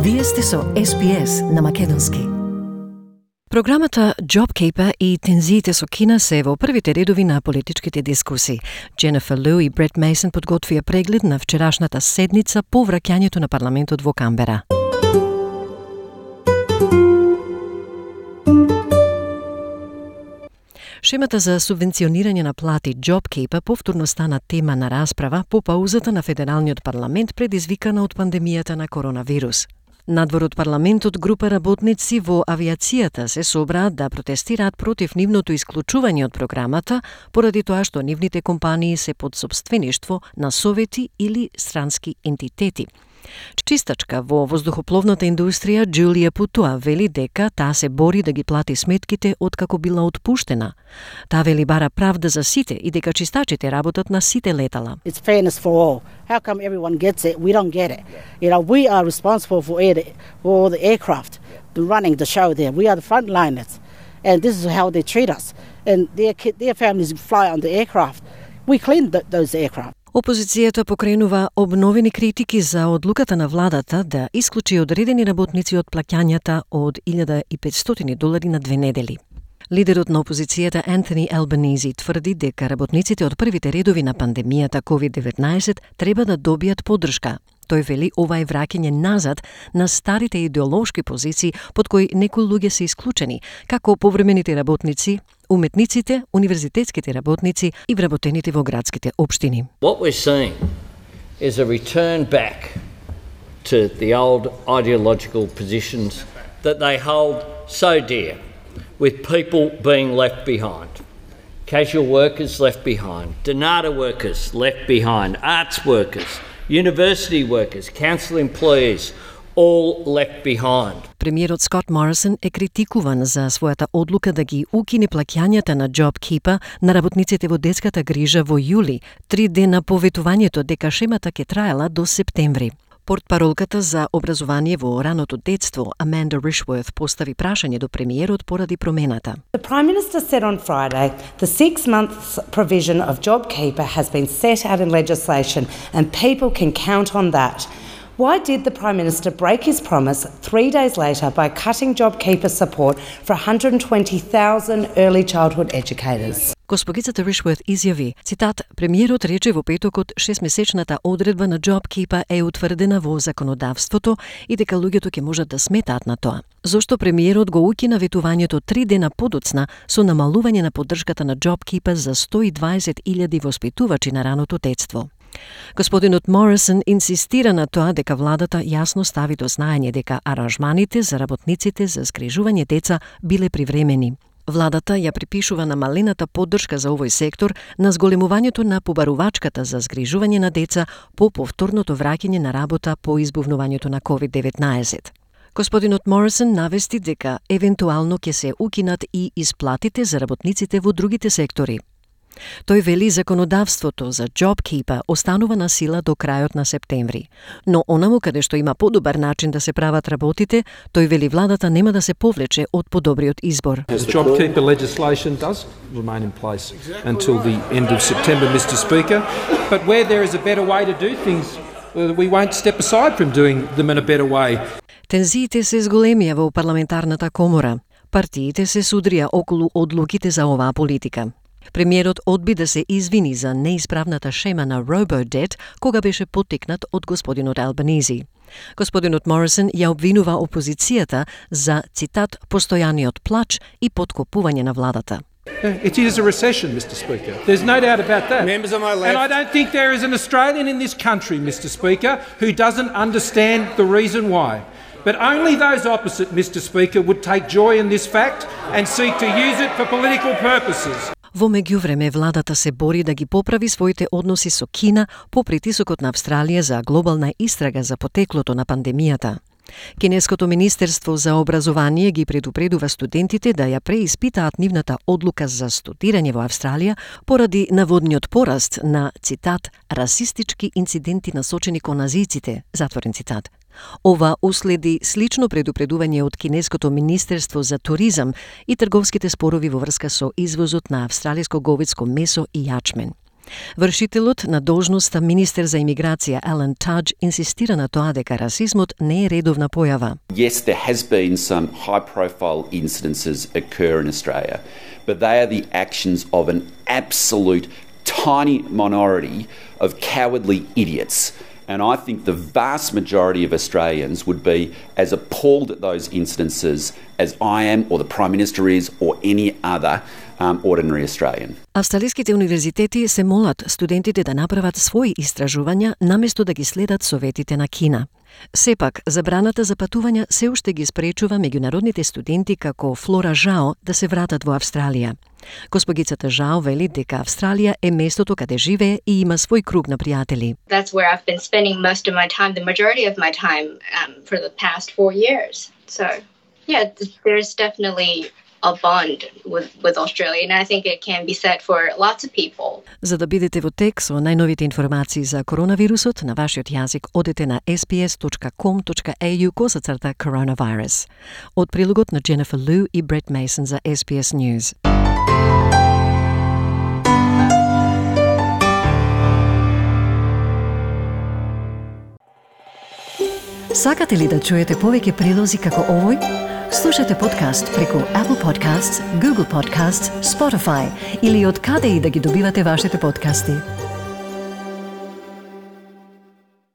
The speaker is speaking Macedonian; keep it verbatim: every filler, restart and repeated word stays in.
Вие сте со Ес Би Ес на македонски. Програмата JobKeeper и тензиите со Кина се во првите редови на политичките дискусии. Дженефер Лу и Брет Мейсон подготвија преглед на вчерашната седница по враќањето на парламентот во Камбера. Шемата за субвенционирање на плати JobKeeper повторно стана тема на расправа по паузата на Федералниот парламент предизвикана од пандемијата на коронавирус. Надвор од парламентот, група работници во авиацијата се собраа да протестираат против нивното исклучување од програмата, поради тоа што нивните компании се под сопствеништво на совети или странски ентитети. Чистачка во воздухопловната индустрија Џулија Путуа вели дека таа се бори да ги плати сметките откако била отпуштена. Таа вели бара правда за сите и дека чистачите работат на сите летала. It's fairness for all. How come everyone gets it? We don't get it. You know, we are responsible for it, for the aircraft, the running the show there. We are the frontliners, and this is how they treat us. And their kid, their families fly on the aircraft. We clean th- those aircraft. Опозицијата покренува обновени критики за одлуката на владата да исклучи одредени работници од плаќањата од илјада и петстотини долари на две недели. Лидерот на опозицијата Антони Албанизи тврди дека работниците од првите редови на пандемијата ковид деветнаесет треба да добијат поддршка. Тој вели ова е враќање назад на старите идеолошки позиции под кои некои луѓе се исклучени, како повремените работници, уметниците, универзитетските работници и вработените во градските општини. What we're seeing is a return back to the old ideological positions that they hold so dear, with people being left behind. Casual workers left behind, Donata workers left behind, arts workers, university workers, council employees, all left behind. Премиерот Скот Морисон е критикуван за својата одлука да ги укине плаќањата на JobKeeper на работниците во детската грижа во јули, три дена по ветувањето дека шемата ќе траела до септември. Портпаролката за образование во раното детство, Аманда Ришворth, постави прашање до премиерот поради промената. The Prime Minister said on Friday the six-month provision of JobKeeper has been set out in legislation and people can count on that. Why did the Prime Minister break his promise three days later by cutting JobKeeper support for one hundred twenty thousand early childhood educators? Госпогицата Ришворth изјави, цитат, премиерот рече во петокот шестмесечната одредба на JobKeeper е утврдена во законодавството и дека луѓето ќе можат да сметаат на тоа. Зошто премиерот го укина ветувањето три дена подоцна со намалување на поддршката на JobKeeper за сто и дваесет илјади воспитувачи на раното детство? Господинот Морисон инсистира на тоа дека владата јасно стави до знаење дека аранжманите за работниците за згрижување деца биле привремени. Владата ја припишува намалената поддршка за овој сектор на зголемувањето на побарувачката за згрижување на деца по повторното враќање на работа по избувнувањето на ковид деветнаесет. Господинот Морисон навести дека евентуално ќе се укинат и исплатите за работниците во другите сектори. Тој вели законодавството за JobKeeper останува на сила до крајот на септември. Но онаму каде што има подобар начин да се прават работите, тој вели владата нема да се повлече од подобриот избор. The JobKeeper legislation does remain in place until the end of September, Mister Speaker. But where there is a better way to do things, we won't step aside from doing them in a better way. Тензиите се зголемија во парламентарната комора. Партиите се судрија околу одлуките за оваа политика. Премиерот одби да се извини за неисправната шема на RoboDebt кога беше поттикнат од господинот Албанизи. Господинот Морисон ја обвинува опозицијата за, цитат, постојаниот плач и поткопување на владата. It is a recession, Mister Speaker. There's no doubt about that. Members on my left. And I don't think there is an Australian in this country, Mister Speaker, who doesn't understand the reason why. But only those opposite, Mister Speaker, would take joy in this fact and seek to use it for political purposes. Во меѓувреме, владата се бори да ги поправи своите односи со Кина по притисокот на Австралија за глобална истрага за потеклото на пандемијата. Кинеското министерство за образование ги предупредува студентите да ја преиспитаат нивната одлука за студирање во Австралија поради наводниот пораст на, цитат, расистички инциденти насочени кон азијците, затворен цитат. Ова уследи слично предупредување од Кинеското министерство за туризам и трговските спорови во врска со извозот на австралиско говедско месо и јачмен. Вршителот на должноста министер за имиграција Алан Тадж инсистира на тоа дека расизмот не е редовна појава. Yes, there has been some high-profile incidences occur in Australia, but they are the actions of an absolute tiny minority of cowardly idiots. And I think the vast majority of Australians would be as appalled at those incidences as I am, or the Prime Minister is, or any other um, ordinary Australian. Австралиските универзитети се молат студентите да направат своји истражувања наместо да ги следат советите на Кина. Сепак, забраната за патувања се уште ги спречува меѓународните студенти како Флора Жао да се вратат во Австралија. Госпогицата Жао вели дека Австралија е местото каде живее и има свој круг на пријатели. That's where I've been spending most of my time, the majority of my time um, for the past four years. So, yeah, there's definitely a bond with, with Australia, and I think it can be said for lots of people. За да бидете во тек со најновите информации за коронавирусот на вашиот јазик, одете на ес би ес точка ком точка ей ю косацрта coronavirus. Од прилогот на Jennifer Liu и Brett Mason за Ес Би Ес News. Сакате ли да чуете повеќе прилози како овој? Слушате подкаст преку Apple Podcasts, Google Podcasts, Spotify или од каде и да ги добивате вашите подкасти.